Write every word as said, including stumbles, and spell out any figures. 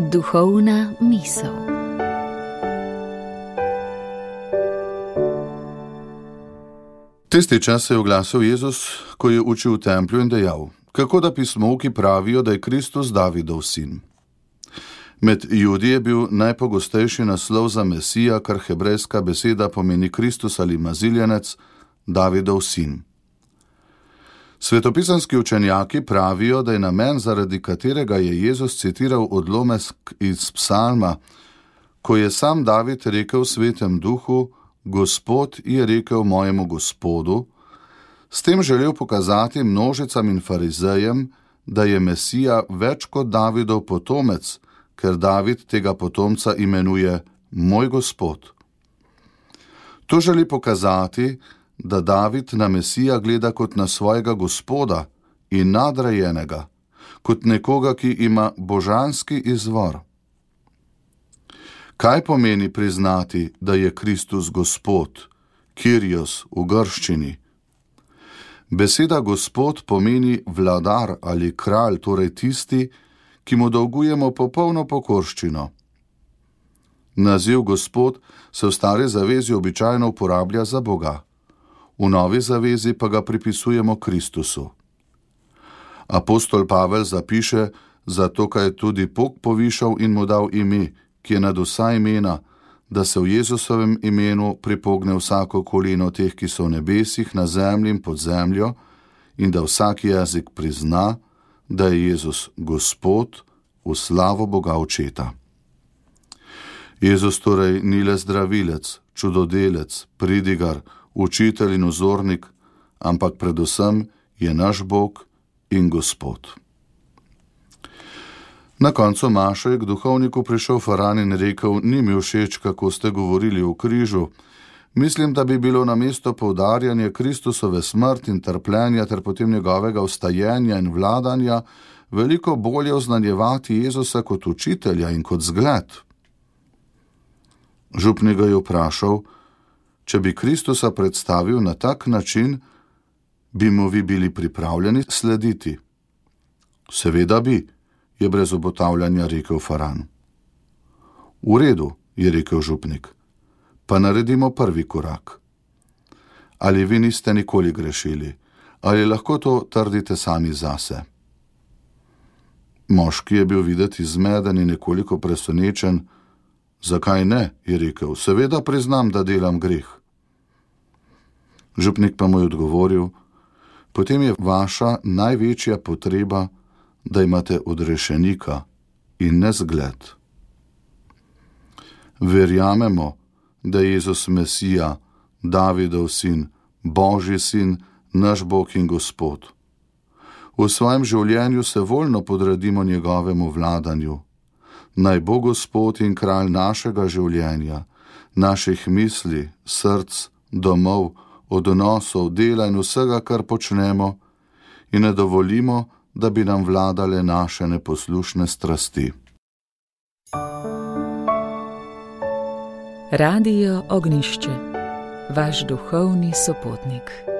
Duhovna misel. Tisti čas se je oglasil Jezus, ko je učil v templju in dejal: kako da pismovki pravijo, da je Kristus Davidov sin. Med Judi je bil najpogostejši naslov za Mesija, kar hebrejska beseda pomeni Kristus ali maziljenec, Davidov sin. Svetopisanski učenjaki pravijo, da je namen, zaradi katerega je Jezus citiral odlomek iz psalma, ko je sam David rekel v Svetem duhu: Gospod je rekel mojemu Gospodu, s tem želel pokazati množicam in farizejem, da je Mesija več kot Davidov potomec, ker David tega potomca imenuje moj Gospod. To želi pokazati, da David na Mesija gleda kot na svojega Gospoda in nadrejenega, kot nekoga, ki ima božanski izvor. Kaj pomeni priznati, da je Kristus Gospod, Kyrios v grščini? Beseda Gospod pomeni vladar ali kralj, torej tisti, ki mu dolgujemo popolno pokorščino. Naziv Gospod se v stari zavezi običajno uporablja za Boga, v novi zavezi pa ga pripisujemo Kristusu. Apostol Pavel zapiše: zato kaj je tudi Bog povišal in mu dal ime, ki je nad vsa imena, da se v Jezusovem imenu pripogne vsako koleno teh, ki so v nebesih, na zemlji in pod zemljo, in da vsak jezik prizna, da je Jezus Gospod, v slavo Boga Očeta. Jezus torej ni le zdravilec, čudodelec, pridigar, učitelj in vzornik, ampak predvsem je naš Bog in Gospod. Na koncu maše je k duhovniku prišel Faran in rekel: ni mi všeč, kako ste govorili o križu. Mislim, da bi bilo namesto poudarjanja Kristusove smrti in trpljenja ter potem njegovega vstajenja in vladanja veliko bolje oznanjevati Jezusa kot učitelja in kot zgled. Župnik ga je vprašal: če bi Kristusa predstavil na tak način, bi mu vi bili pripravljeni slediti? Seveda bi, je brez obotavljanja rekel Faran. V redu, je rekel župnik, pa naredimo prvi korak. Ali vi niste nikoli grešili, ali lahko to trdite sami zase? Moški je bil videti zmeden in nekoliko presenečen. Zakaj ne, je rekel, seveda priznam, da delam greh. Župnik pa mu je odgovoril: potem je vaša največja potreba, da imate odrešenika in ne zgled. Verjamemo, da je Jezus Mesija, Davidov sin, Božji sin, naš Bog in Gospod. V svojem življenju se voljno podredimo njegovemu vladanju. Naj bo Gospod in kralj našega življenja, naših misli, src, domov, odnosov, dela in vsega, kar počnemo, in ne dovolimo, da bi nam vladale naše neposlušne strasti. Radio Ognjišče, vaš duhovni sopotnik.